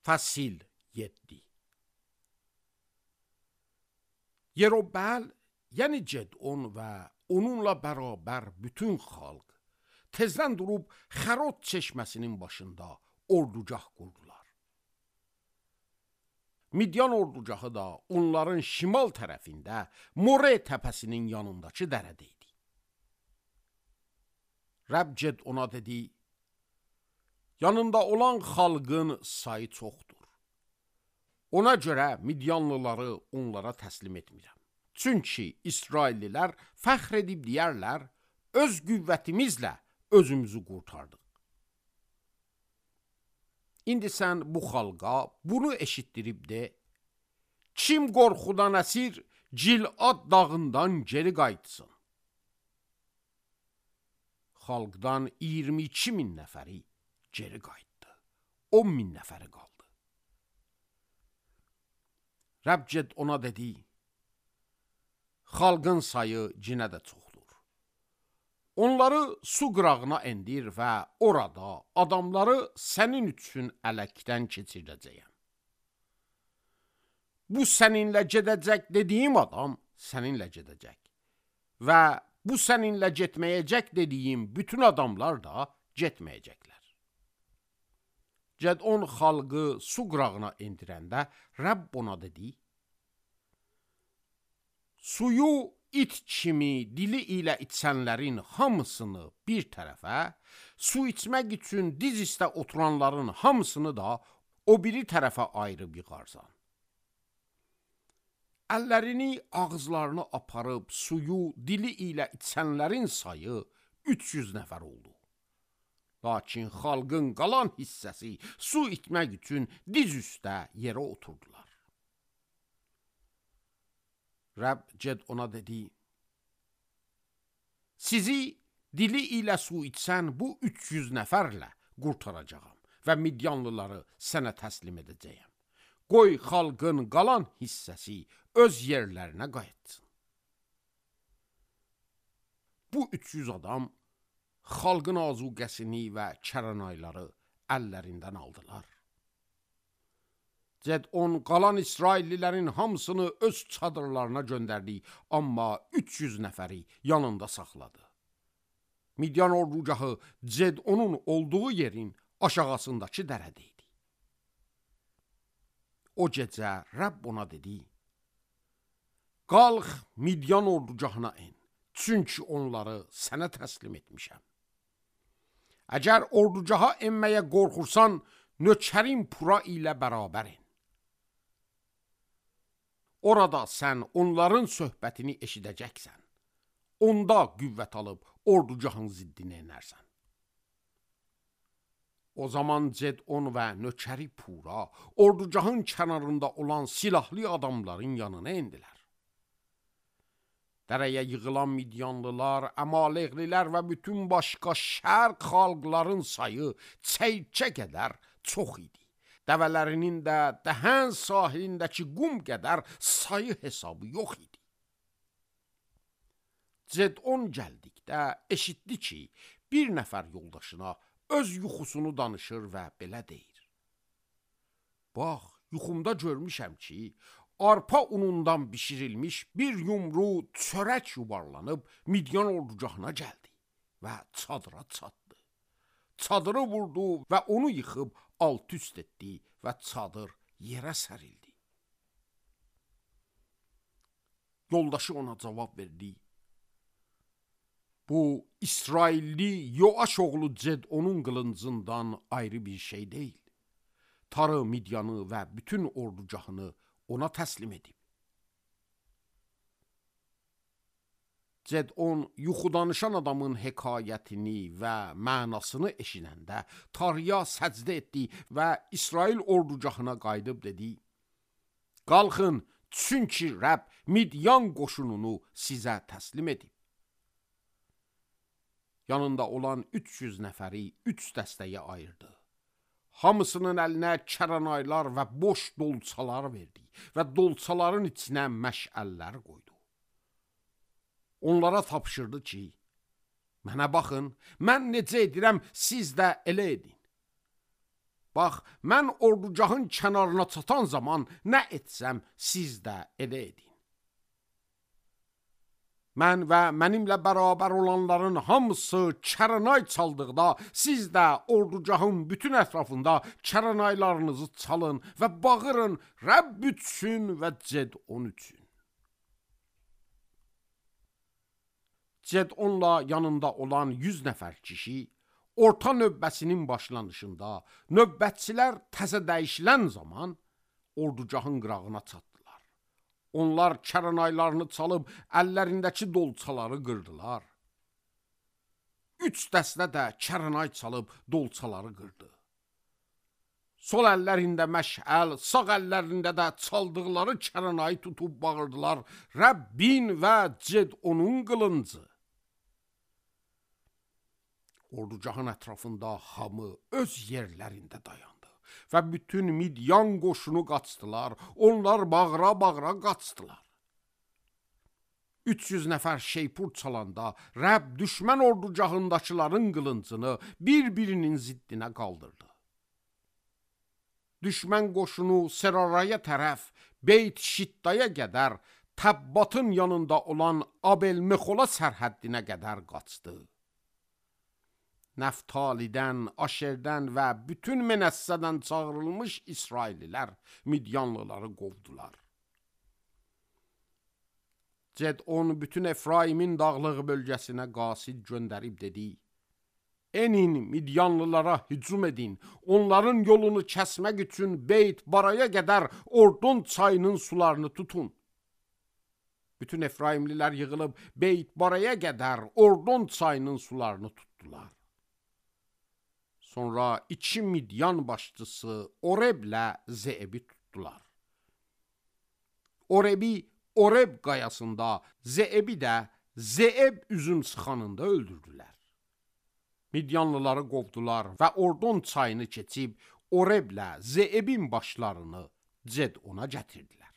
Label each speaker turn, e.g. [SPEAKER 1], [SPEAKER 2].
[SPEAKER 1] Fəsil 7. Yerobəl, yəni Gedon və onunla bərabər bütün xalq tezdən durub Xərod çeşməsinin başında ordugah qurdular. Midyan ordugahı da onların şimal tərəfində More təpəsinin yanındakı dərədə idi. Rəbb Gedona dedi: yanında olan xalqın sayı çoxdur. Ona görə Midyanlıları onlara təslim etmirəm. Çünki İsraillilər fəxr edib deyərlər, öz qüvvətimizlə özümüzü qurtardıq. İndi sən bu xalqa bunu eşitdirib de, kim qorxudan əsir Cilad dağından geri qayıtsın. Xalqdan 22 min nəfəri geri qayıtdı. 10 min nəfəri qaldı. Rəbb Gedona dedi: xalqın sayı cinə də çoxdur. Onları su qırağına endir və orada adamları sənin üçün ələkdən keçirəcəyəm. Bu səninlə gedəcək dediyim adam səninlə gedəcək və bu səninlə getməyəcək dediyim bütün adamlar da getməyəcəklər. Gedon xalqı su qırağına endirəndə Rəbb ona dedi: suyu it kimi dili ilə içənlərin hamısını bir tərəfə, su içmək üçün diz üstə oturanların hamısını da o biri tərəfə ayırıb yığarsan. Əllərini ağızlarını aparıb suyu dili ilə içənlərin sayı 300 nəfər oldu. Lakin xalqın qalan hissəsi su içmək üçün diz üstə yerə oturdular. Rəbb Gedona dedi: sizi dili ilə su içsən bu 300 nəfərlə qurtaracağam və Midyanlıları sənə təslim edəcəyəm. Qoy xalqın qalan hissəsi öz yerlərinə qayıtsın. Bu 300 adam xalqın azuqəsini və kəranayları əllərindən aldılar. Gedon qalan İsraillilərin hamısını öz çadırlarına göndərdi, amma 300 nəfəri yanında saxladı. Midyan ordugahı Gedonun olduğu yerin aşağısındakı dərədə idi. O gecə Rəbb ona dedi: qalx Midyan ordugahına en, çünki onları sənə təslim etmişəm. Əgər ordugaha enməyə qorxursan, nökərin Pura ilə bərabər en. Orada sən onların söhbətini eşidəcəksən. Onda qüvvət alıb ordugahın ziddinə enərsən. O zaman Gedon və nökəri Pura ordugahın kənarında olan silahlı adamların yanına endilər. Dərəyə yığılan Midyanlılar, Əmaleqlilər və bütün başqa şərq xalqların sayı çəykə qədər çox idi. Dəvələrinin də dəhən sahilindəki qum qədər sayı hesabı yox idi. Gedon gəldikdə eşitdi ki, bir nəfər yoldaşına öz yuxusunu danışır və belə deyir: bax, yuxumda görmüşəm ki, arpa unundan bişirilmiş bir yumru çörək yuvarlanıb Midyan ordugahına gəldi və çadıra çatdı. Çadırı vurdu və onu yıxıb alt-üst etdi və çadır yerə sərildi. Yoldaşı ona cavab verdi: bu İsrailli Yoaş oğlu Gedonun qılıncından ayrı bir şey deyil. Tarı Midyanı və bütün ordugahını ona təslim edib. Gedon yuxu danışan adamın hekayətini və mənasını eşidəndə Tarıya səcdə etdi və İsrail ordugahına qayıdıb dedi: qalxın, çünki Rəbb Midyan qoşununu sizə təslim edib. Yanında olan 300 nəfəri 3 dəstəyə ayırdı. Hamısının əlinə kəranaylar və boş dolçalar verdi və dolçaların içinə məşəllər qoydu. Onlara tapşırdı ki, mənə baxın, mən necə edirəm, siz də elə edin. bax, mən ordugahın kənarına çatan zaman nə etsəm, siz də elə edin. Mən və mənimlə bərabər olanların hamısı kəranay çaldıqda, siz də ordugahın bütün ətrafında kəranaylarınızı çalın və bağırın Rəbb üçün və Cedon üçün. Cedonla yanında olan 100 nəfər kişi, orta növbəsinin başlanışında növbətçilər təzə dəyişilən zaman ordugahın qırağına çatdılar. Onlar kəranaylarını çalıb əllərindəki dolçaları qırdılar. 3 dəstə də kəranay çalıb dolçaları qırdı. Sol əllərində məşəl, sağ əllərində də çaldıqları kəranayı tutub bağırdılar: Rəbbin və Cedonun qılıncı. Ordugahın ətrafında hamı öz yerlərində dayandı və bütün Midyan qoşunu qaçdılar, onlar bağıra-bağıra qaçdılar. 300 nəfər şeypur çalanda Rəbb düşmən ordugahındakıların qılıncını bir-birinin ziddinə qaldırdı. Düşmən qoşunu Seraraya tərəf Beyt Şiddaya qədər, Təbbatın yanında olan Abel-Mexola sərhəddinə qədər qaçdı. Nəftalidən, Aşerdən və bütün Menəssədən çağırılmış İsraillilər Midyanlıları qovdular. Cedon bütün Efraimin dağlıq bölgəsinə qasid göndərib dedi: Enin Midyanlılara hücum edin, onların yolunu kəsmək üçün Beyt Baraya qədər Ordon çayının sularını tutun. Bütün Efraimlilər yığılıb Beyt Baraya qədər Ordon çayının sularını tutdular. Sonra 2 Midyan başçısı Oreblə Zeebi tutdular. Orebi Oreb qayasında, Zeebi də Zeeb üzüm sıxanında öldürdülər. Midyanlıları qovdular və Ordon çayını keçib Oreblə Zeebin başlarını Cedona gətirdilər.